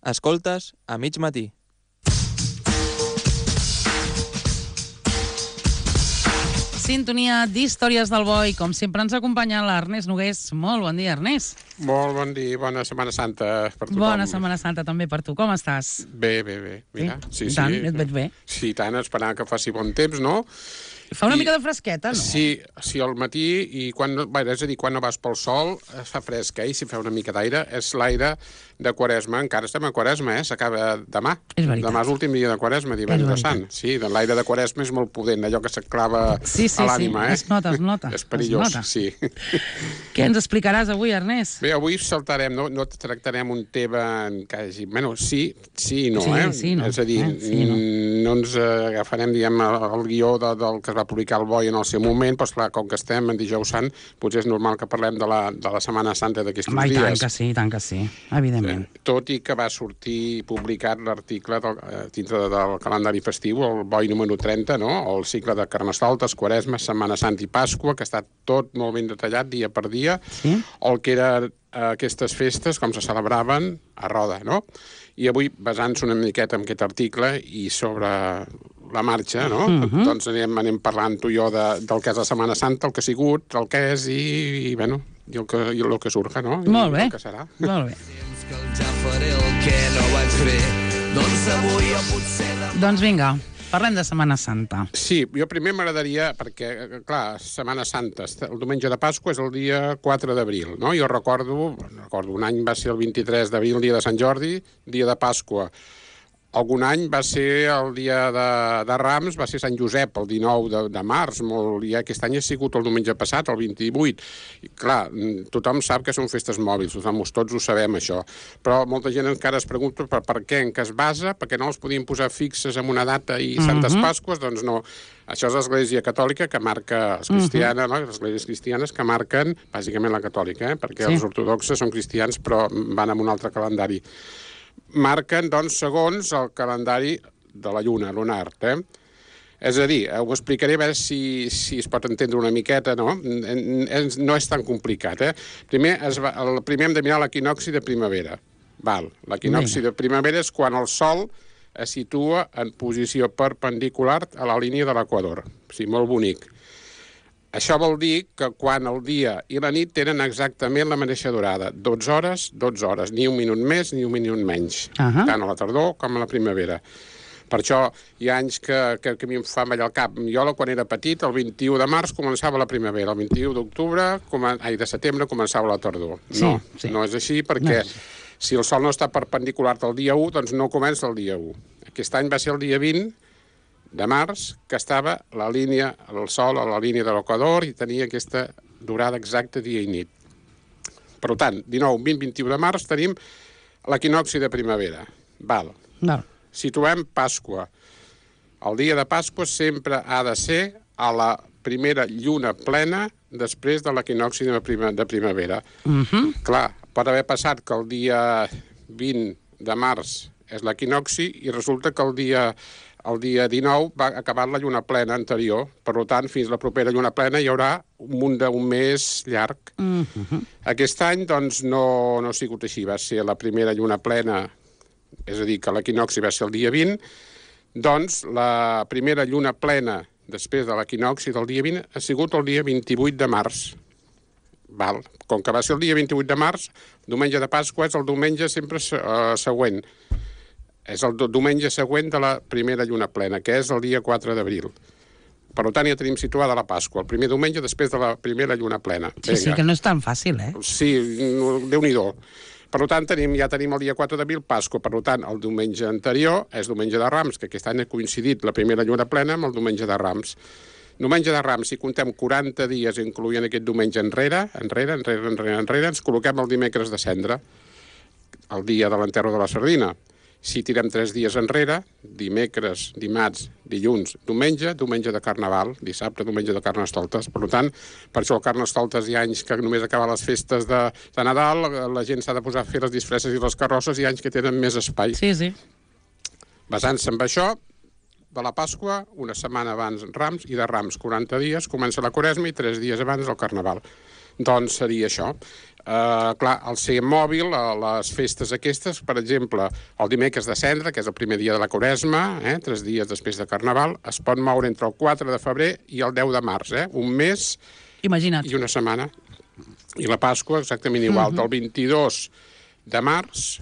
Escoltes a mig matí. Sintonia d'Històries del Boi. Com sempre ens acompanya l'Ernest Nogués. Molt bon dia, Ernest. Molt bon dia, bona Setmana Santa per tothom. Bona Setmana Santa també per tu. Com estàs? Bé. Mira, sí. I tant, et veig bé. Sí, tant, esperant que faci bon temps, no? Fa una mica de fresqueta, no? Sí, al matí, i quan no vas pel sol, es fa fresc, i si fa una mica d'aire, és l'aire de Quaresma. Encara estem a Quaresma, s'acaba demà. És veritat. Demà és l'últim dia de Quaresma, divendres sant. Sí, l'aire de Quaresma és molt potent, allò que s'aclava a l'ànima, es nota. És perillós, sí. Què ens explicaràs avui, Ernest? Bé, avui saltarem, no tractarem un tema que hagi... Bueno, sí i no, Sí, no. És a dir, no ens agafarem, diguem, el guió del que es va publicar el Boi en el seu moment, però esclar, com que estem en dijous sant, potser és normal que parlem de la Setmana Santa d'aquests dies. I tant que sí, evidentment. Tot i que va sortir publicat l'article dintre del calendari festiu, el Boi número 30, no? El cicle de Carnestoltes, Quaresma, Setmana Santa i Pasqua, que està tot molt ben detallat dia per dia, el que eren aquestes festes, com se celebraven a Roda, no? I avui, basant-se una miqueta en aquest article i sobre la marxa, no? Doncs anem parlant tu i jo del que és la Setmana Santa, el que ha sigut, el que és i el que surja, no? Molt bé. I el que serà. Molt bé. Doncs vinga, parlem de Setmana Santa. Sí, jo primer m'agradaria, perquè, clar, Setmana Santa, el diumenge de Pasqua és el dia 4 d'abril, no? Jo recordo, un any va ser el 23 d'abril, el dia de Sant Jordi, dia de Pasqua. Algun any va ser el dia de Rams, va ser Sant Josep, el 19 de març, i aquest any ha sigut el diumenge passat, el 28. I, clar, tothom sap que són festes mòbils, tots ho sabem, això. Però molta gent encara es pregunta per què, en què es basa, perquè no els podien posar fixes en una data i Santes Pasques, doncs no. Això és l'Església Catòlica que marca els cristianes, no? Les esglésies cristianes que marquen, bàsicament la catòlica, perquè els ortodoxes són cristians però van amb un altre calendari. Marquen, doncs, segons el calendari de la lluna, lunar, És a dir, ho explicaré a veure si es pot entendre una miqueta, no? No és tan complicat, Primer hem de mirar l'equinocci de primavera. L'equinocci de primavera és quan el sol es situa en posició perpendicular a la línia de l'equador. O sigui, molt bonic. Això vol dir que quan el dia i la nit tenen exactament la mateixa durada, 12 hores, ni un minut més ni un minut menys, tant a la tardor com a la primavera. Per això hi ha anys que a mi em fa mallar el cap. Jo, quan era petit, el 21 de març començava la primavera, el 21 de setembre començava la tardor. No és així, perquè si el sol no està perpendicular del dia 1, doncs no comença el dia 1. Aquest any va ser el dia 20 de març, que estava el sol a la línia de l'equador i tenia aquesta durada exacta dia i nit. Per tant, 19, 20, 21 de març tenim l'equinocci de primavera. Situem Pasqua. El dia de Pasqua sempre ha de ser a la primera lluna plena després de l'equinocci de primavera. Clar, pot haver passat que el dia 20 de març és l'equinocci i resulta que el dia 19 va acabar la lluna plena anterior. Per tant, fins la propera lluna plena hi haurà un mes llarg. Aquest any, doncs, no ha sigut així. Va ser la primera lluna plena, és a dir, que l'equinocci va ser el dia 20. Doncs la primera lluna plena després de l'equinocci del dia 20 ha sigut el dia 28 de març. Com que va ser el dia 28 de març, diumenge de Pasqua és el diumenge sempre següent. És el diumenge següent de la primera lluna plena, que és el dia 4 d'abril. Per tant, ja tenim situada la Pasqua, el primer diumenge després de la primera lluna plena. Sí, que no és tan fàcil, Sí, Déu-n'hi-do. Per tant, ja tenim el dia 4 d'abril, Pasqua. Per tant, el diumenge anterior és diumenge de Rams, que aquest any ha coincidit la primera lluna plena amb el diumenge de Rams. Diumenge de Rams, si contem 40 dies, incloent aquest diumenge enrere, ens col·loquem el dimecres de Cendra, el dia de l'enterro de la sardina. Si tirem 3 dies enrere, dimecres, dimarts, dilluns, diumenge de Carnaval, dissabte, diumenge de Carnestoltes. Per tant, per això el Carnestoltes hi ha anys que només acaben les festes de Nadal, la gent s'ha de posar a fer les disfresses i les carrosses, i anys que tenen més espai. Sí. Basant-se en això, de la Pasqua, una setmana abans Rams, i de Rams 40 dies, comença la Quaresma i 3 dies abans el Carnaval. Doncs seria això. Clar, al ser mòbil, a les festes aquestes, per exemple, el dimecres de Cendra, que és el primer dia de la Quaresma, 3 dies després de Carnaval, es pot moure entre el 4 de febrer i el 10 de març, un mes Imagina't. i una setmana. I la Pasqua exactament igual, del 22 de març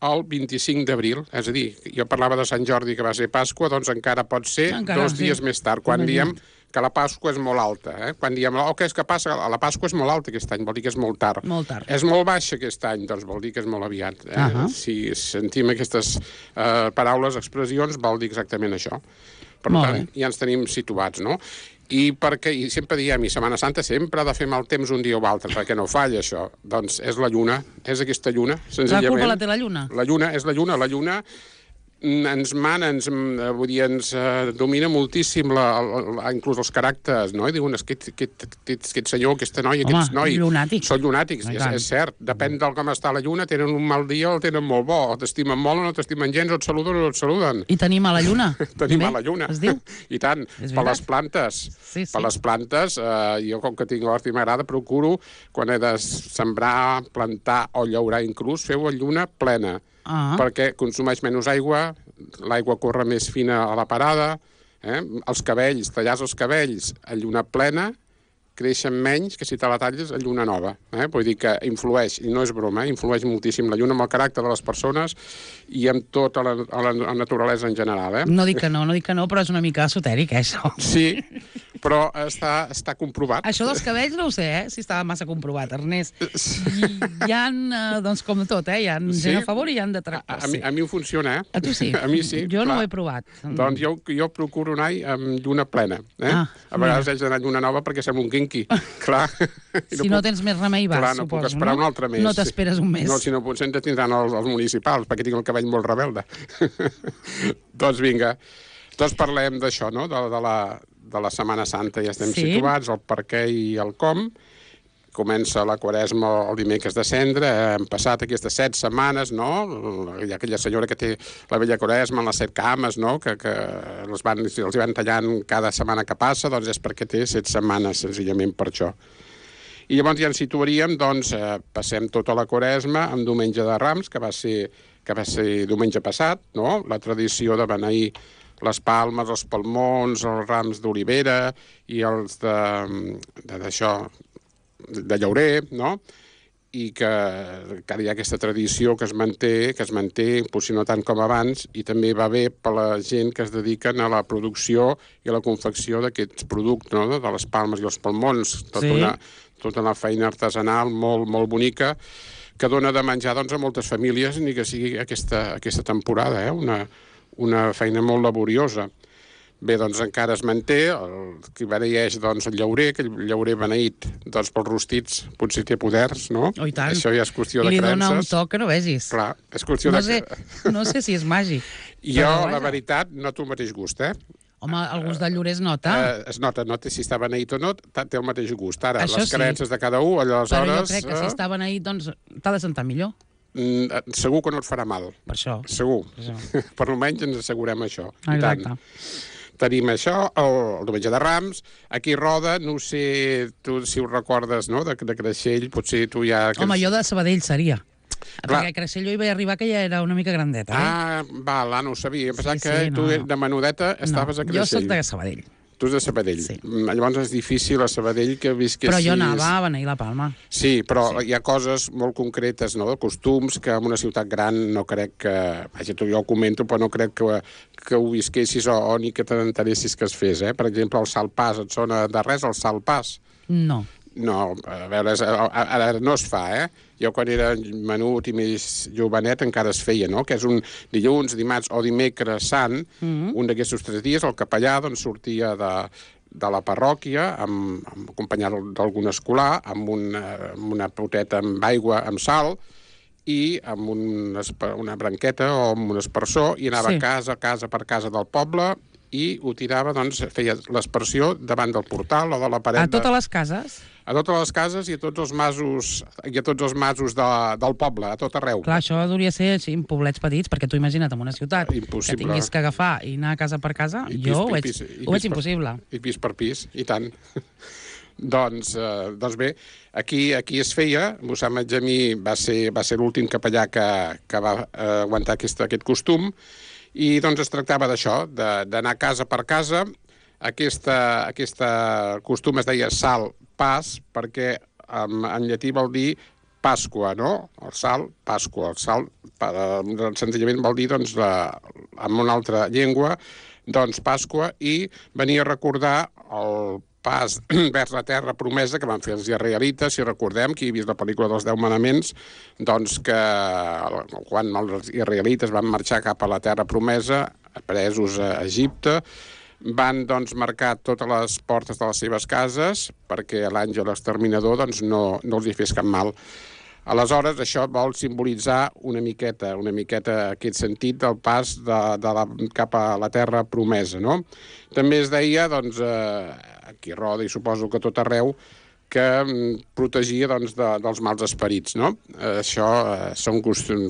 al 25 d'abril. És a dir, jo parlava de Sant Jordi, que va ser Pasqua, doncs encara pot ser 2 dies més tard, quan diem que la Pasqua és molt alta. Quan diem, què és que passa? La Pasqua és molt alta aquest any, vol dir que és molt tard. Molt tard. És molt baixa aquest any, doncs vol dir que és molt aviat. Si sentim aquestes paraules, expressions, vol dir exactament això. Per tant, ja ens tenim situats, no? I sempre diem, i Setmana Santa sempre ha de fer mal temps un dia o altre, perquè no falla això. Doncs és la lluna, és aquesta lluna, senzillament. La culpa la té la lluna? La lluna, és la lluna. La lluna ens mana, vull dir, ens domina moltíssim inclús els caràcters, no? I diuen, aquest senyor, aquesta noia, aquest noi... Llunàtics. Són llunàtics, és cert. Depèn del com està la lluna, tenen un mal dia o el tenen molt bo, o t'estimen molt o no t'estimen gens, o et saluden o no et saluden. I tenim a la lluna. Tenim a la lluna. Es diu? I tant, per les plantes. Sí. Per les plantes, jo com que tinc hort i m'agrada, procuro, quan he de sembrar, plantar o llaurar inclús, fer-ho a lluna plena. Perquè consumeix menys aigua, l'aigua corre més fina a la parada, els cabells, tallars els cabells a lluna plena, creixen menys que si te la talles a lluna nova. Vull dir que influeix, i no és broma, influeix moltíssim la lluna amb el caràcter de les persones i amb tota la naturalesa en general. No dic que no, però és una mica esotèric, això. Sí, però està comprovat. Això dels cabells no ho sé, si estava massa comprovat, Ernest. Hi ha, doncs com tot, hi ha gent a favor i hi ha detractors. A mi ho funciona, A tu sí? A mi sí. Jo no ho he provat. Doncs jo procuro anar amb lluna plena. A vegades haig d'anar a lluna nova perquè sembla un quinqui. Clar. Si no tens més remei, vas, suposo. Clar, no puc esperar un altre mes. No t'esperes un mes. No, si no, potser ens tindran els municipals, perquè tinc el cabell molt rebelde. Doncs vinga. Doncs parlem d'això, no?, de la Setmana Santa. Ja estem situats, el per què i el com. Comença la Quaresma el dimecres de Cendra, hem passat aquestes 7 setmanes, no? Hi ha aquella senyora que té la vella Quaresma en les 7 cames, no?, que els van tallant cada setmana que passa, doncs és perquè té 7 setmanes, senzillament per això. I llavors ja ens situaríem, doncs, passem tota la Quaresma amb Diumenge de Rams, que va ser diumenge passat, no?, la tradició de beneir les palmes, els palmons, els rams d'olivera i els de llaurer, no?, i que ara hi ha aquesta tradició que es manté, potser no tant com abans, i també va bé per la gent que es dediquen a la producció i a la confecció d'aquests productes, no?, de les palmes i els palmons, tota una feina artesanal molt, molt bonica, que dona de menjar, doncs, a moltes famílies, ni que sigui aquesta temporada, una feina molt laboriosa. Bé, doncs encara es manté, qui beneeix, doncs, el llaurer, que el llaurer beneït, doncs, pels rostits potser té poders, no? Oh, i tant. Això ja és qüestió de creences. I li dona un toc que no vegis. Clar, és qüestió No sé si és màgic. Jo, la veritat, noto el mateix gust, Home, el gust del llaurer es nota. Es nota si està beneït o no, té el mateix gust. Ara, això les creences de cada un, aleshores... Però jo crec que si està beneït, doncs, t'ha de sentar millor. Segur que no et farà mal. Per això. Segur. Per almenys ens assegurem això. Exacte. Tenim això, el Diumenge de Rams, aquí Roda, no sé tu si ho recordes, no?, de Creixell, potser tu ja... Home, jo de Sabadell seria. Perquè a Creixell jo hi vaig arribar que ja era una mica grandeta, no ho sabia. Em pensava que tu de menudeta estaves a Creixell. Jo soc de Sabadell. Tu és de Sabadell. Sí. Llavors és difícil a Sabadell que visquessis... Però jo anava a beneir la Palma. Sí, però hi ha coses molt concretes, no?, de costums, que en una ciutat gran no crec que... Vaja, jo ho comento, però no crec que ho visquessis o ni que t'enteressis que es fes, Per exemple, el salpàs, et sona de res el salpàs? No. No, a veure, ara no es fa, Jo quan era menut i més jovenet encara es feia, no?, que és un dilluns, dimarts o dimecres sant, un d'aquests 3 dies, el capellà doncs sortia de la parròquia, acompanyat d'algun escolar, amb una poteta amb aigua, amb sal, i amb una branqueta o amb un aspersor, i anava casa per casa del poble, i ho tirava, doncs, feia l'aspersió davant del portal o de la paret... A totes les cases? A totes les cases i a tots els masos del poble, a tot arreu. Clar, això hauria de ser així, en poblets petits, perquè tu imagina't en una ciutat impossible. Que tinguis que agafar i anar casa per casa, jo ho veig impossible. I pis per pis, i tant. Doncs bé, aquí es feia, Mossèn Benjamí va ser l'últim capellà que va aguantar aquest costum, i doncs es tractava d'això, d'anar casa per casa. Aquest costum es deia sal pas, perquè en llatí vol dir Pasqua, no? El sal, Pasqua. El sal, senzillament vol dir, doncs, en una altra llengua, doncs, Pasqua, i venia a recordar el pas vers la terra promesa que van fer els israelites. Si recordem, qui ha vist la pel·lícula dels 10 manaments, doncs que quan els israelites van marxar cap a la terra promesa, presos a Egipte, van doncs, marcar totes les portes de les seves cases perquè l'àngel exterminador doncs, no els hi fes cap mal. Aleshores, això vol simbolitzar una miqueta aquest sentit del pas cap a la terra promesa, no? També es deia, doncs, aquí a Roda i suposo que a tot arreu, que protegia doncs, dels mals esperits, no? Això són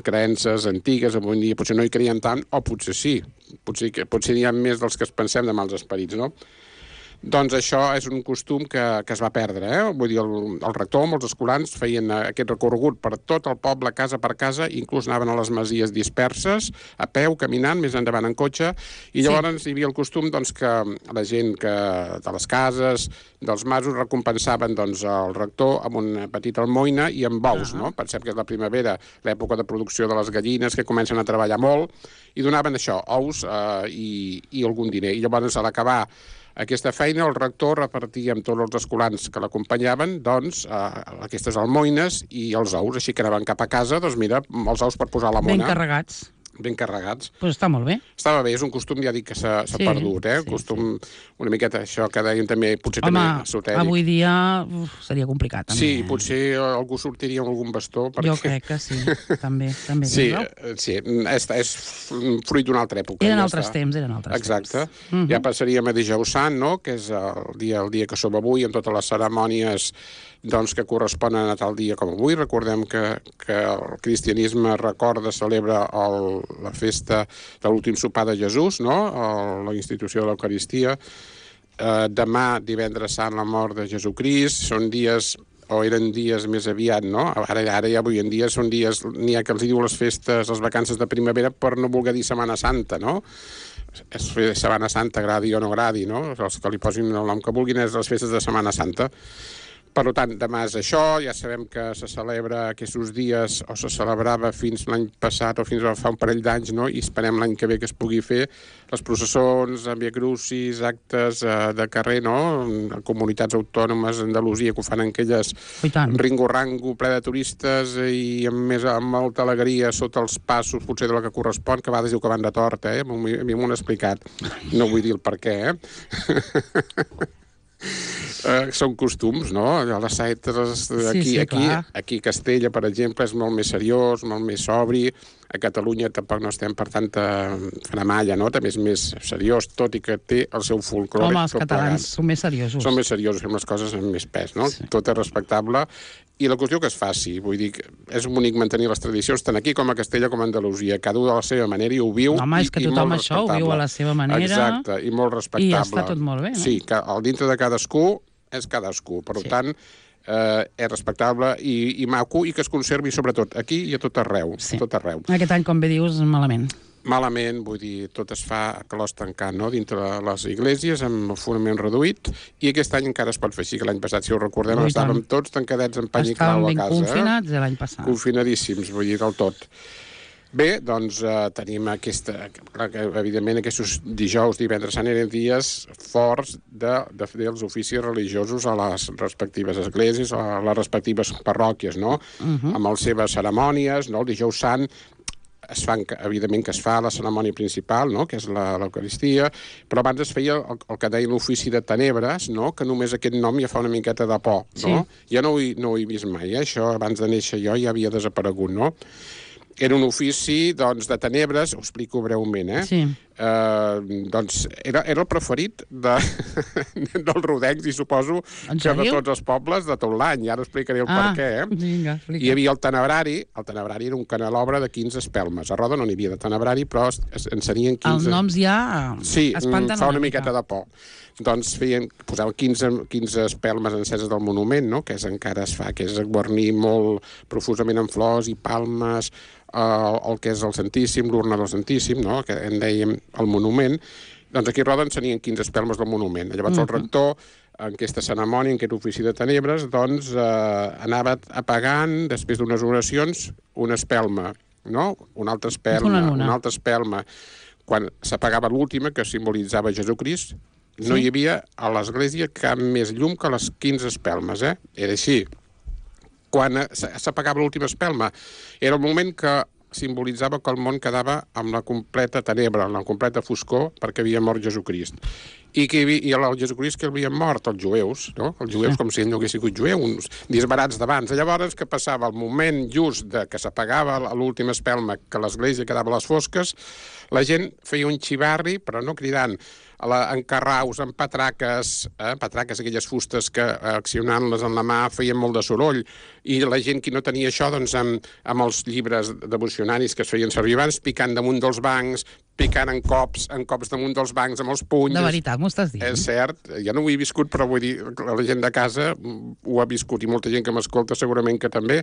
creences antigues, avui en dia potser no hi creien tant, o potser sí, potser n'hi ha més dels que es pensem de mals esperits, no? Doncs això és un costum que es va perdre, Vull dir, el rector, molts escolans, feien aquest recorregut per tot el poble, casa per casa, inclús anaven a les masies disperses, a peu, caminant, més endavant en cotxe, i llavors hi havia el costum doncs, que la gent de les cases, dels masos, recompensaven doncs, el rector amb una petita almoina i amb bous, no? Pensem que és la primavera, l'època de producció de les gallines, que comencen a treballar molt, i donaven això, ous i algun diner. I llavors, a l'acabar aquesta feina, el rector repartia amb tots els escolans que l'acompanyaven doncs, aquestes almoines i els ous, així que anaven cap a casa, doncs mira, els ous per posar a la mona. Ben carregats. Pues està molt bé. Estava bé, és un costum, ja dic, que s'ha perdut, costum una miqueta, això que deien també, potser també esotèric. Home, avui dia seria complicat, també. Sí, potser algú sortiria amb algun bastó. Jo crec que sí, també. Sí, és fruit d'una altra època. Eren altres temps. Exacte. Ja passaríem a Dijous Sant, no?, que és el dia que som avui, amb totes les cerimònies doncs, que corresponen a tal dia com avui. Recordem que el cristianisme celebra la festa de l'últim sopar de Jesús, no?, la institució de l'Eucaristia. Demà, divendres sant, la mort de Jesucrist. Són dies, o eren dies més aviat, no? Ara ja avui en dia són dies, n'hi ha que els diu les festes, les vacances de primavera, per no voler dir Setmana Santa, no? Setmana Santa, agradi o no agradi, no? Els que li posin el nom que vulguin és les festes de Setmana Santa. Per tant, demà és això, ja sabem que se celebra aquests dies, o se celebrava fins l'any passat o fins a fa un parell d'anys, no? I esperem l'any que ve que es pugui fer les processons, Via Crucis, actes de carrer, no? Comunitats autònomes d'Andalusia que ho fan en aquelles ringo-rango ple de turistes i amb molta alegria sota els passos, potser de la que correspon, que a vegades diu que van de tort, A mi m'ho han explicat. No vull dir el per què, són costums, no? Les saetes aquí a Castella, per exemple, és molt més seriós, molt més sobri. A Catalunya tampoc no estem per tanta faramalla, no? També és més seriós, tot i que té el seu folclore. Home, els catalans són més seriosos. Són més seriosos, fem les coses amb més pes, no? Sí. Tot és respectable. I la qüestió que es faci, vull dir, és bonic mantenir les tradicions, tant aquí com a Castella com a Andalusia. Cada un de la seva manera i ho viu. Home, és que tothom això ho viu a la seva manera. Exacte, i molt respectable. I està tot molt bé, no? Sí, que el dintre de cadascú és cadascú. Per tant, és respectable i maco, i que es conservi sobretot aquí i a tot arreu. Tot arreu. Aquest any, com bé dius, malament. Malament, vull dir, tot es fa a clos tancant, no?, dintre les esglésies, amb el fonament reduït, i aquest any encara es pot fer així, que l'any passat, si ho recordem, estàvem tots tancadets en pany i clau a casa. Estàvem ben confinats l'any passat. Confinadíssims, vull dir, del tot. Bé, doncs tenim evidentment aquests dijous, divendres sant eren dies forts de fer els oficis religiosos a les respectives esglésies, a les respectives parròquies, no?, amb les seves cerimònies, no?, el dijous sant evidentment que es fa la cerimònia principal, no?, que és l'Eucaristia, però abans es feia el que deia l'ofici de tenebres, no?, que només aquest nom ja fa una miqueta de por, no? Jo no ho he vist mai, això abans de néixer jo ja havia desaparegut, no? Era un ofici, doncs, de tenebres, ho explico breument, Sí. Doncs era el preferit dels rodencs i suposo que de tots els pobles de tot l'any. I ara explicaré el per què. Vinga, explica. Hi havia el tenebrari. El tenebrari era un canelobre de 15 espelmes. A Roda no n'hi havia de tenebrari, però en serien 15... Els noms ja espanten fa una miqueta de por. Doncs posaven 15 espelmes enceses del monument, no? Que encara es fa, que és guarnir molt profusament amb flors i palmes, el que és el Santíssim, l'urna del Santíssim, no? Que en dèiem el monument. Doncs aquí a Roda en serien 15 espelmes del monument. Llavors el rector, en aquesta cerimònia, en aquest ofici de tenebres, doncs anava apagant, després d'unes oracions, una espelma, no? Una altra espelma, una altra espelma. Quan s'apagava l'última, que simbolitzava Jesucrist, no hi havia a l'església cap més llum que les 15 espelmes, Era així. Quan s'apagava l'última espelma, era el moment que simbolitzava que el món quedava amb la completa tenebra, amb la completa foscor, perquè havia mort Jesucrist. I el Jesucrist que havien mort? Els jueus, no? Els jueus com si ell no hagués sigut jueu, uns disbarats d'abans. Llavors, què passava? El moment just de que s'apagava l'última espelma, que l'església quedava a les fosques, la gent feia un xivarri, però no cridant, en carraus, en patraques, aquelles fustes que accionant-les en la mà feien molt de soroll, i la gent que no tenia això, doncs amb els llibres devocionaris que es feien servir abans, picant damunt dels bancs, picant en cops damunt dels bancs amb els punys. De veritat, m'ho estàs dient? És cert, jo no ho he viscut, però vull dir, la gent de casa ho ha viscut, i molta gent que m'escolta segurament que també.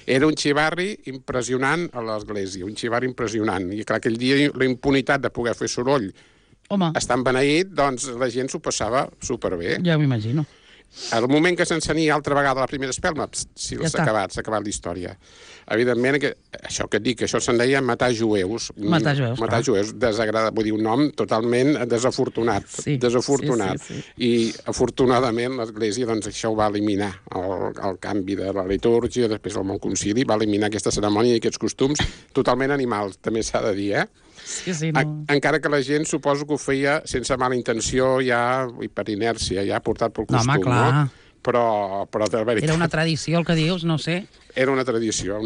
Era un xivarri impressionant a l'església, un xivarri impressionant. I clar, aquell dia la impunitat de poder fer soroll estant beneït, doncs la gent s'ho passava superbé. Ja m'imagino. Al moment que s'encenia altra vegada la primera espelma, s'ha acabat la història. Evidentment, això que et dic, això se'n deia matar jueus. Matar jueus, desagradat, vull dir, un nom totalment desafortunat. Desafortunat. Sí. I, afortunadament, l'Església, doncs, això ho va eliminar. El canvi de la litúrgia, després del Mont Concili, va eliminar aquesta cerimònia i aquests costums totalment animals, també s'ha de dir, Sí, no. Encara que la gent suposo que ho feia sense mala intenció, ja, i per inèrcia, ja portat pel costum, home, clar. no? Però de veritat... Era una tradició, el que dius, no sé. Era una tradició,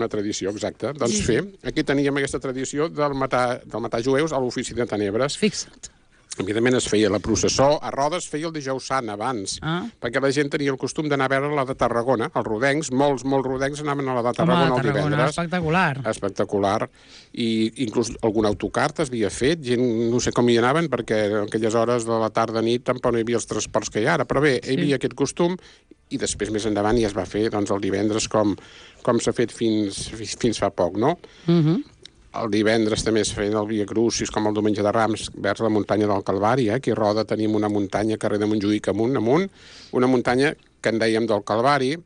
exacta. Doncs aquí teníem aquesta tradició del matar jueus a l'ofici de tenebres. Fixa't. Evidentment es feia la processó, a Roda es feia el dijous sant abans, perquè la gent tenia el costum d'anar a veure la de Tarragona, els rodencs, molts rodencs anaven a la de Tarragona el divendres. Espectacular. I inclús algun autocar es havia fet, gent no sé com hi anaven, perquè en aquelles hores de la tarda-nit tampoc no hi havia els transports que hi ha ara, però bé, hi havia aquest costum, i després més endavant ja es va fer doncs, el divendres com s'ha fet fins fa poc, no? El divendres també es feien el Via Crucis, com el diumenge de Rams, vers la muntanya del Calvari. Aquí a Roda tenim una muntanya, carrer de Montjuïc amunt, una muntanya que en dèiem del Calvari.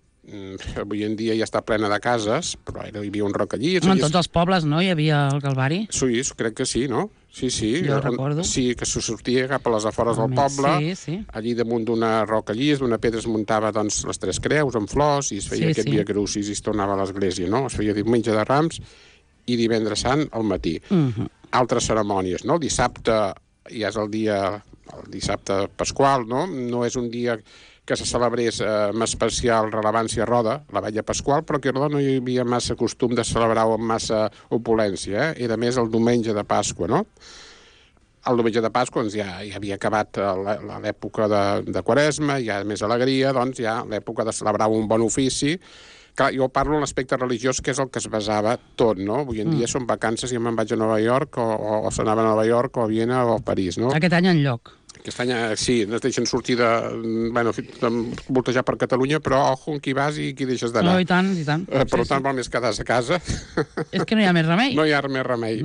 Avui en dia ja està plena de cases, però hi havia un rocallís. En tots els pobles, no?, hi havia el Calvari? Sí, crec que sí, no? Sí. Jo recordo. Sí, que se sortia cap a les afores del poble. Sí. Allí damunt d'una rocallís, d'una pedra es muntava doncs, les tres creus amb flors i es feia aquest Via Crucis i es tornava a l'església, no? Es feia diumenge de Rams i divendres sant al matí. Altres cerimònies, no? El dissabte ja és el dissabte pasqual, no? No és un dia que se celebrés amb especial rellevància a Roda, la vetlla pasqual, però que a Roda no hi havia massa costum de celebrar-ho amb massa opulència, Era més el diumenge de Pasqua, no? El diumenge de Pasqua doncs, ja havia acabat l'època de Quaresma, ja més alegria, doncs ja l'època de celebrar un bon ofici. Clar, jo parlo en l'aspecte religiós, que és el que es basava tot, no? Avui en dia són vacances i me'n vaig a Nova York, o se n'anaven a Nova York, o a Viena, o a París, no? Aquest any enlloc. Aquest any, sí, ens deixen sortir voltejar per Catalunya, però ojo, qui vas i qui deixes d'anar. No, i tant. Per tant, val més quedar-se a casa. És que no hi ha més remei. No hi ha més remei.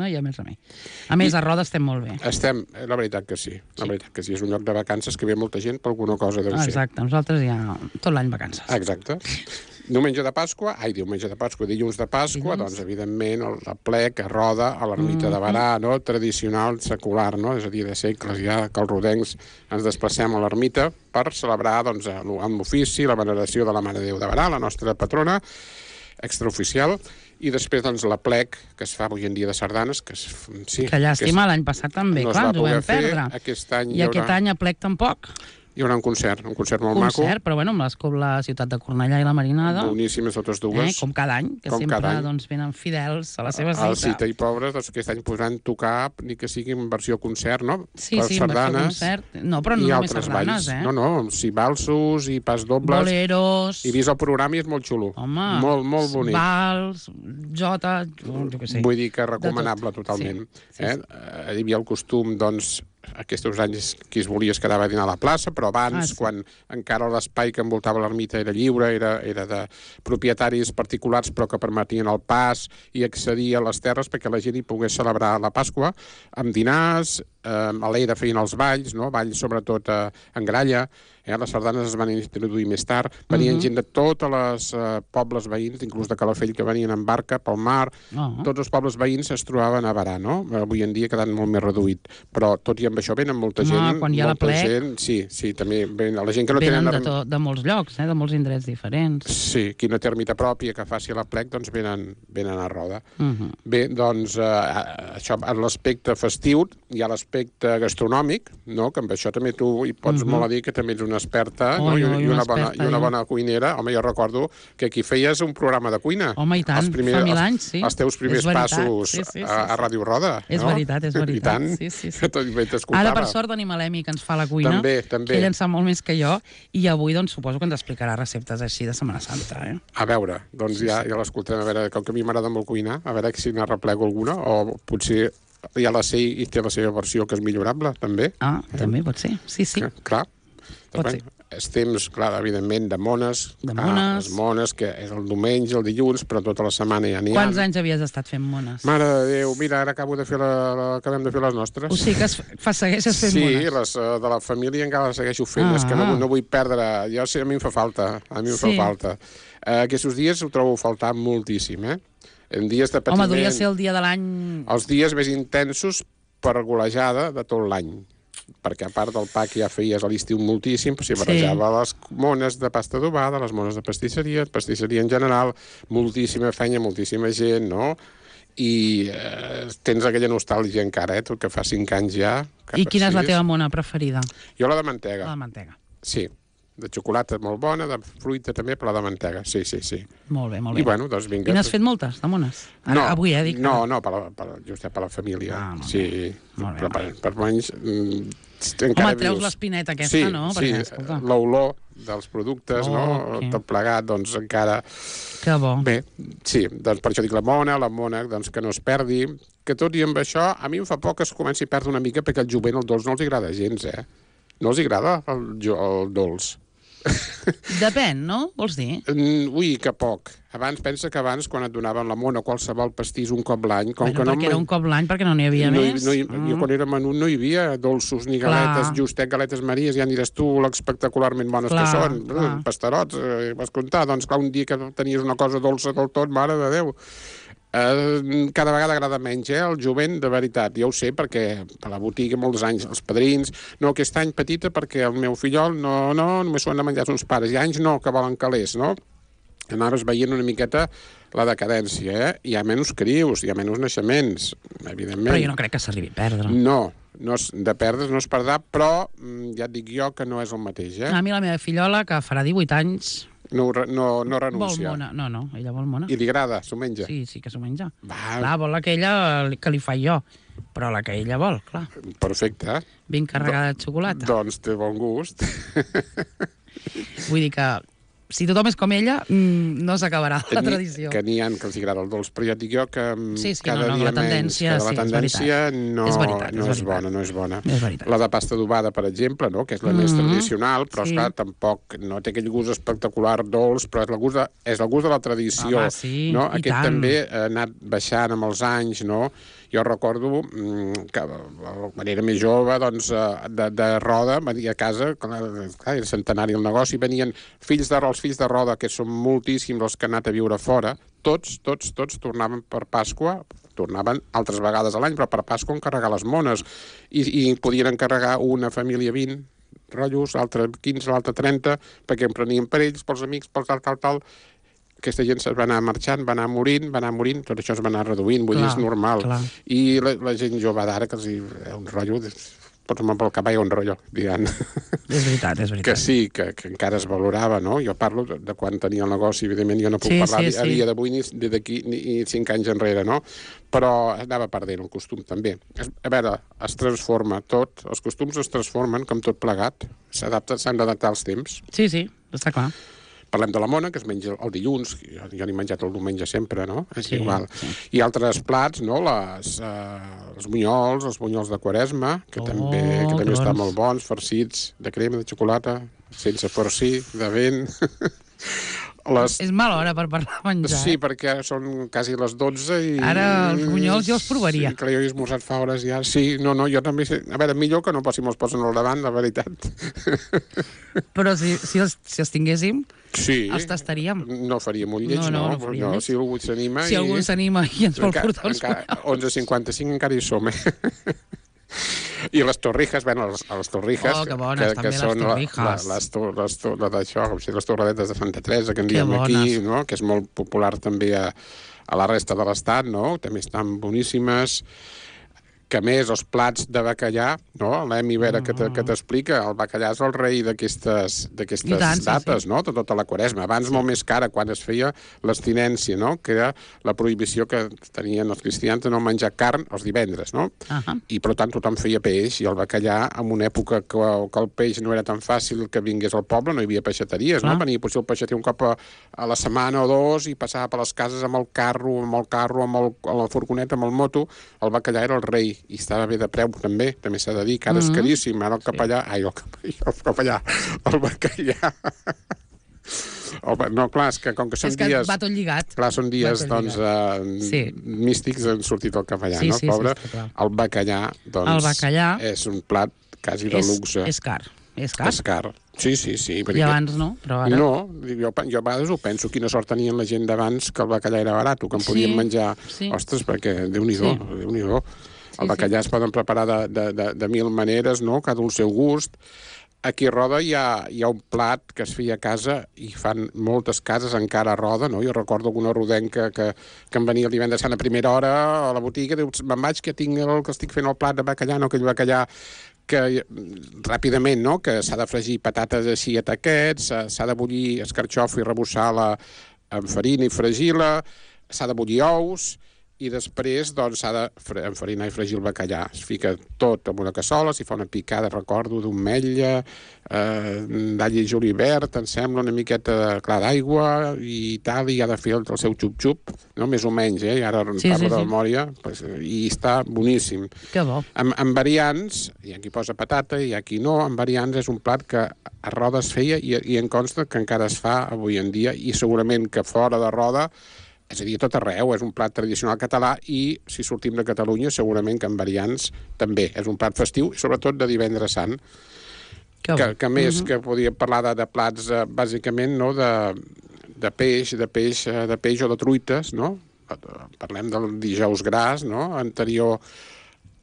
A més, a Roda estem molt bé. La veritat que sí. La veritat que sí, és un lloc de vacances que ve molta gent per alguna cosa deu ser. Exacte, nosaltres ja tot l'any vacances. Exacte. Dilluns de Pasqua, doncs, evidentment, el plec a Roda, a l'ermita de Barà, no? Tradicional, secular, no? És a dir, de segles ja que els rodencs ens desplacem a l'ermita per celebrar, doncs, amb l'ofici, la veneració de la Mare de Déu de Barà, la nostra patrona extraoficial, i després, doncs, la plec que es fa avui en dia de sardanes, que sí... Que llàstima, l'any passat també, clar, ens ho vam perdre. Aquest any I aquest any a plec tampoc. Hi haurà un concert molt maco. Concert, però bueno, amb la ciutat de Cornellà i la Marinada. Boníssimes totes dues. Com cada any, que sempre doncs, venen fidels a la seva cita. Al Cita i Pobres, doncs aquest any podran tocar, ni que sigui en versió concert, no? Sí, en versió concert. No, però no només sardanes, No, sí, valsos i pas dobles. Boleros. I vist el programa i és molt xulo. Home, molt bonic. Vals, jota, jo què sé. Vull dir que recomanable totalment. Hi havia el costum, doncs, aquests anys qui es volia es quedava a dinar a la plaça, però abans, quan encara l'espai que envoltava l'ermita era lliure, era de propietaris particulars però que permetien el pas i accedir a les terres perquè la gent hi pogués celebrar la Pasqua amb dinars, a l'era feien els balls, no? Balls sobretot en gralla, les sardanes es van introduir més tard, venien gent de totes les pobles veïns, inclús de Calafell, que venien en barca pel mar, tots els pobles veïns es trobaven a Barà, no? Avui en dia ha quedat molt més reduït, però tot i amb això venen molta gent. Quan hi ha la plec... Sí, també la gent que no tenen... Venen de molts llocs, de molts indrets diferents. Sí, qui no té ermita pròpia que faci la plec, doncs venen a roda. Bé, doncs, això, en l'aspecte festiu, hi ha l'aspecte gastronòmic, no? Que amb això també tu hi pots molt a dir que també ets una experta i una bona cuinera. Home, jo recordo que aquí feies un programa de cuina. Home, i tant, fa 1000 anys, sí. Els teus primers passos a Ràdio Roda. És veritat, és veritat. I tant, que tot t'escoltava. Ara, per sort, tenim l'Emi, que ens fa la cuina. També. Que ell en sap molt més que jo, i avui, doncs, suposo que ens explicarà receptes així de Setmana Santa, A veure, doncs ja l'escoltem, a veure, com que a mi m'agrada molt cuinar, a veure si n'arreplego alguna, o potser ja la sé i té la seva versió que és millorable, també. També pot ser, sí. Clar. Pot ser. És temps, clar, evidentment, de mones. Les mones, que és el diumenge, el dilluns, però tota la setmana ja n'hi ha. Quants anys havies estat fent mones? Mare de Déu, mira, ara acabem de fer les nostres. O sigui que segueixes fent mones? Sí, les de la família encara les segueixo fent, és que no vull perdre... Jo sé, a mi em fa falta, falta. Aquests dies ho trobo faltar moltíssim, En dies de patiment... Home, devia ser el dia de l'any... Els dies més intensos per golejada de tot l'any, perquè a part del pa que ja feies a l'estiu moltíssim, s'hi barrejava les mones de pasta adobada, les mones de pastisseria en general, moltíssima feina, moltíssima gent, no? I tens aquella nostàlgia encara, tot que fa 5 anys ja. I quina és la teva mona preferida? Jo la de mantega. La de mantega. Sí. De xocolata molt bona, de fruita també, però la de mantega, sí. Molt bé. I bueno, doncs vinga. I n'has fet moltes, de mones? Avui, dic. No, just per la família. Sí, molt bé. Però per menys... Home, treus l'espineta aquesta, no? Sí, l'olor dels productes, no? Tot plegat, doncs encara... Que bo. Bé, sí, doncs per això dic la mona, doncs que no es perdi, que tot i amb això, a mi em fa por que es comenci a perdre una mica perquè el jovent, el dolç, no els agrada gens, No els agrada el dolç. Depèn, no? Vols dir? Ui, que poc. Pensa que abans, quan et donaven la mona o qualsevol pastís un cop l'any... Perquè era un cop l'any, perquè no n'hi havia més. Jo quan era menut no hi havia dolços ni galetes, justet galetes Maries, ja aniràs tu l'espectacularment bones que són. Pasterots, vas comptar. Doncs clar, un dia que tenies una cosa dolça del tot, mare de Déu. Cada vegada agrada menys, el jovent, de veritat. Jo ho sé, perquè a la botiga molts anys, els padrins, no, aquest any petita perquè el meu fillol només s'ho han de menjar uns pares, i anys no, que volen calés, no? Anaves veient una miqueta la decadència, Hi ha menys crius, hi ha menys naixements, evidentment. Però jo no crec que s'arribi a perdre. No, de perdre no es perdrà, però ja et dic jo que no és el mateix, A mi la meva fillola, que farà 18 anys... No renuncia. Vol mona. No, ella vol mona. I li agrada, s'ho menja? Sí que s'ho menja. Clar, vol aquella que li faig jo, però la que ella vol, clar. Perfecte. Ben carregada de xocolata. Doncs té bon gust. Vull dir que si tothom és com ella, no s'acabarà la tradició. Que n'hi ha que els agrada el dolç, però ja et dic jo que cada dia menys, la tendència no és bona. És veritat. La de pasta adobada, per exemple, no? Que és la més tradicional, però esclar, tampoc no té aquell gust espectacular dolç, però és el gust de la tradició. No? Aquest també ha anat baixant amb els anys, no? Jo recordo que quan era més jove, doncs, de Roda, venia a casa, clar, era centenari el negoci, venien els fills de Roda, que són moltíssims els que han anat a viure fora, tots tornaven per Pasqua, tornaven altres vegades a l'any, però per Pasqua encarregar les mones, i podien encarregar una família 20 rotllos, l'altre 15, l'altre 30, perquè en prenien per ells, pels amics, pels tal. Aquesta gent va anar marxant, va anar morint, tot això es va anar reduint, vull dir, és normal. I la gent jove d'ara, que els hi un rotllo, pots anar pel cavall un rotllo, diguem. És veritat. Que sí, que encara es valorava, no? Jo parlo de quan tenia el negoci, evidentment jo no puc parlar a dia d'avui ni d'aquí ni 5 anys enrere, no? Però anava perdent el costum, també. A veure, es transforma tot, els costums es transformen, com tot plegat, s'han d'adaptar als temps. Sí, està clar. Parlem de la mona, que es menja el dilluns, jo n'he menjat el diumenge sempre, no? És igual. Sí. I altres plats, no? Els bunyols de Quaresma, que també estan molt bons, farcits de crema, de xocolata, sense farcir, de vent. És mala hora per parlar de menjar. Sí, perquè són quasi les 12 i... Ara els bunyols jo els provaria. Sí, que jo he esmorzat fa hores ja. Sí, no, jo també sé. A veure, millor que no si me'ls posen al davant, la veritat. Però si els tinguéssim, sí, els tastaríem. No faríem un lleig, no. Si algú s'anima... Si algú s'anima i ens vol portar els bunyols. 11:55 encara hi som, I les torrijas, les torrijas... Oh, que bones, també les torrijas. Les torradetes de Santa Teresa, que en diem aquí, no? Que és molt popular també a la resta de l'estat, no? També estan boníssimes. Que a més, els plats de bacallà, no? L'Emi Vera que t'explica, el bacallà és el rei d'aquestes dates, no? Tota la Quaresma. Abans molt més cara, quan es feia l'abstinència, no? Que era la prohibició que tenien els cristians de no menjar carn els divendres, no? I per tant tothom feia peix, i el bacallà, en una època que el peix no era tan fàcil que vingués al poble, no hi havia peixateries, no? Venia potser el peixater un cop a la setmana o dos i passava per les cases amb el carro, amb la furgoneta, amb el moto. El bacallà era el rei, i estava bé de preu també s'ha de dir, que ara és caríssim, ara el capellà, el bacallà. No, clar, és que com que són dies... És que va tot lligat. Clar, són dies, doncs, místics, han sortit el capellà, no, pobre? El bacallà, doncs, és un plat quasi de luxe. És car. És car. Sí. I abans no, però ara... No, jo a vegades ho penso, quina sort tenien la gent d'abans que el bacallà era barat, que en podien menjar... Ostres, perquè Déu-n'hi-do. El bacallà es poden preparar de mil maneres, no? Cada un el seu gust. Aquí a Roda hi ha un plat que es feia a casa i fan moltes cases encara a Roda, no? Jo recordo alguna rodenca que em venia el divendres sant a primera hora a la botiga, diu, me'n vaig que estic fent el plat de bacallà, no aquell bacallà que ràpidament, no?, que s'ha de fregir patates així a taquets, s'ha de bullir escarxofa i rebussar-la amb farina i fregir-la, s'ha de bullir ous, i després doncs, s'ha d'enfarinar i fregir el bacallà. Es fica tot en una cassola, s'hi fa una picada, recordo, d'ametlla, d'all i julivert, em sembla, una miqueta d'aigua i tal, i ha de fer el seu xup-xup, no? Més o menys, i ara parlo de memòria, i està boníssim. Que bo. Amb variants, hi ha qui posa patata, hi ha qui no, amb variants és un plat que a Roda es feia i em consta que encara es fa avui en dia, i segurament que fora de Roda, és a dir, a tot arreu, és un plat tradicional català i, si sortim de Catalunya, segurament que amb variants també. És un plat festiu i, sobretot, de divendres sant. Que més que podíem parlar de plats, bàsicament, no?, de peix o de truites, no? Parlem del dijous gras, no?, anterior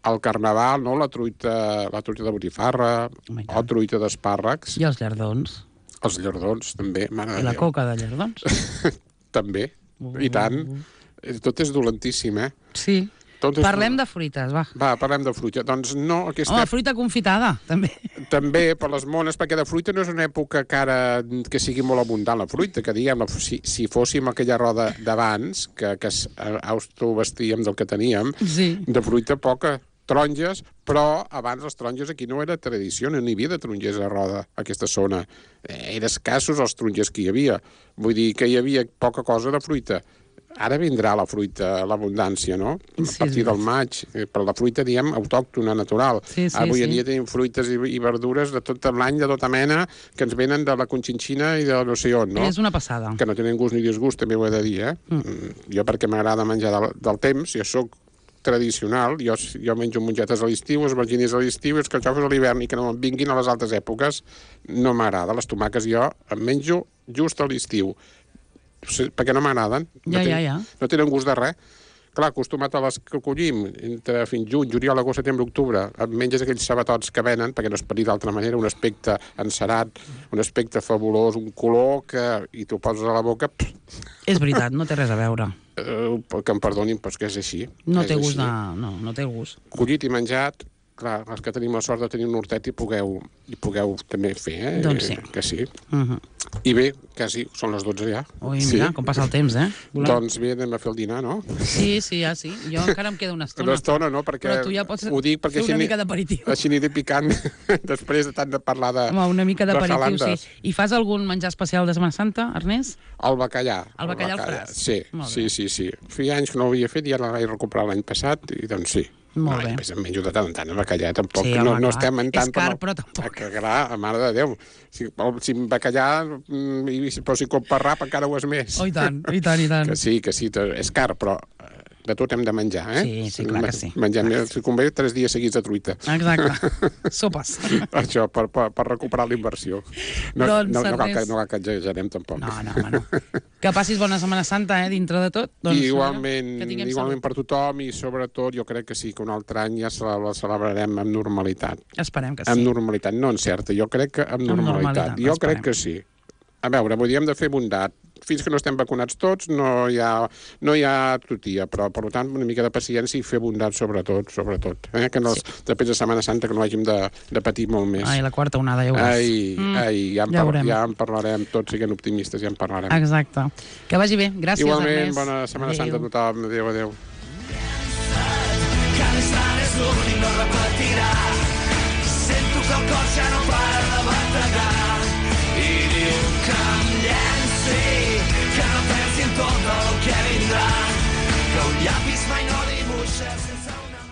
al carnaval, no?, la truita de botifarra, o truita d'espàrrecs. I els llardons. Els llardons, també. I la coca de llardons. També. I tant. Tot és dolentíssim, Sí. Parlem de fruites, va. Va, parlem de fruita. Doncs no, aquesta... fruita confitada, també. També, per les mones, perquè de fruita no és una època que sigui molt abundant la fruita, que diguem, si fóssim aquella roda d'abans, que autobastíem del que teníem, de fruita poca, taronges, però abans les taronges aquí no era tradició, no n'hi havia de tarongers a Roda, a aquesta zona. Eren escassos els tarongers que hi havia. Vull dir que hi havia poca cosa de fruita. Ara vindrà la fruita, l'abundància, no? A partir del maig. Per la fruita, diem, autòctona, natural. Avui en dia tenim fruites i verdures de tot l'any, de tota mena, que ens venen de la Conchinchina i de no sé on, no? És una passada. Que no tenen gust ni disgust, també ho he de dir, Jo, perquè m'agrada menjar del temps, jo soc tradicional, jo menjo mongetes a l'estiu, esvergines a l'estiu i els carxofes a l'hivern, i que no em vinguin a les altres èpoques no m'agrada. Les tomaques jo em menjo just a l'estiu, perquè no m'agraden. No tenen gust de res. Clar, acostumat a les que collim entre fins juny, juliol, agost, setembre, octubre, et menges aquells sabatots que venen, perquè no es pot dir d'altra manera, un aspecte encerat, un aspecte fabulós, un color que... i t'ho poses a la boca... És veritat, no té res a veure. Que em perdonin, però és que és així. No té gust. No té gust. Collit i menjat, clar, els que tenim la sort de tenir un hortet i pugueu també fer, Doncs sí. Que sí. I bé, quasi són les 12 ja. Ui, mira, com passa el temps, Volem. Doncs bé, anem a fer el dinar, no? Sí, ja sí. Jo encara em queda una estona. Una estona, no? Perquè però tu ja pots ho dic perquè fer una mica d'aperitiu. Així aniré picant després de tant de parlar de Home, una mica d'aperitiu, sí. Jalandes. I fas algun menjar especial de Setmana Santa, Ernest? El bacallà. El bacallà al fràs. Sí. Feia anys que no ho havia fet i ara l'he recuperat l'any passat i doncs sí. Molt bé. I després em menjo de tant en tant el bacallà, tampoc. Sí, home, no estem en tant... És car, però tampoc. Clar, mare de Déu. Si bacallà, però si compra rap encara ho és més. Oh, i tant. Que sí, és car, però de tot hem de menjar, Sí, clar que sí. Mengem, si convé, 3 dies seguits de truita. Exacte. Sopes. Això, per recuperar la inversió. No cal que exagerem, tampoc. No. Que passis bona Setmana Santa, dintre de tot. Doncs, igualment per tothom i sobretot jo crec que sí, que un altre any ja la celebrarem amb normalitat. Esperem que sí. Amb normalitat, no encerta, jo crec que amb normalitat. Jo crec que sí. A veure, vull dir, hem de fer bondat. Fins que no estem vacunats tots no hi ha tutia, però per tant una mica de paciència i fer bondat sobretot. Que després de Setmana Santa que no hàgim de patir molt més. Ai, la quarta onada, ja ho veuràs. Ja en parlarem, tots siguent optimistes, ja en parlarem. Exacte. Que vagi bé. Gràcies, igualment, Ernest. bona Setmana Santa a tothom. Adéu. Cada estat és l'únic, no repetirà. Sento que el cor ja no para de bategar.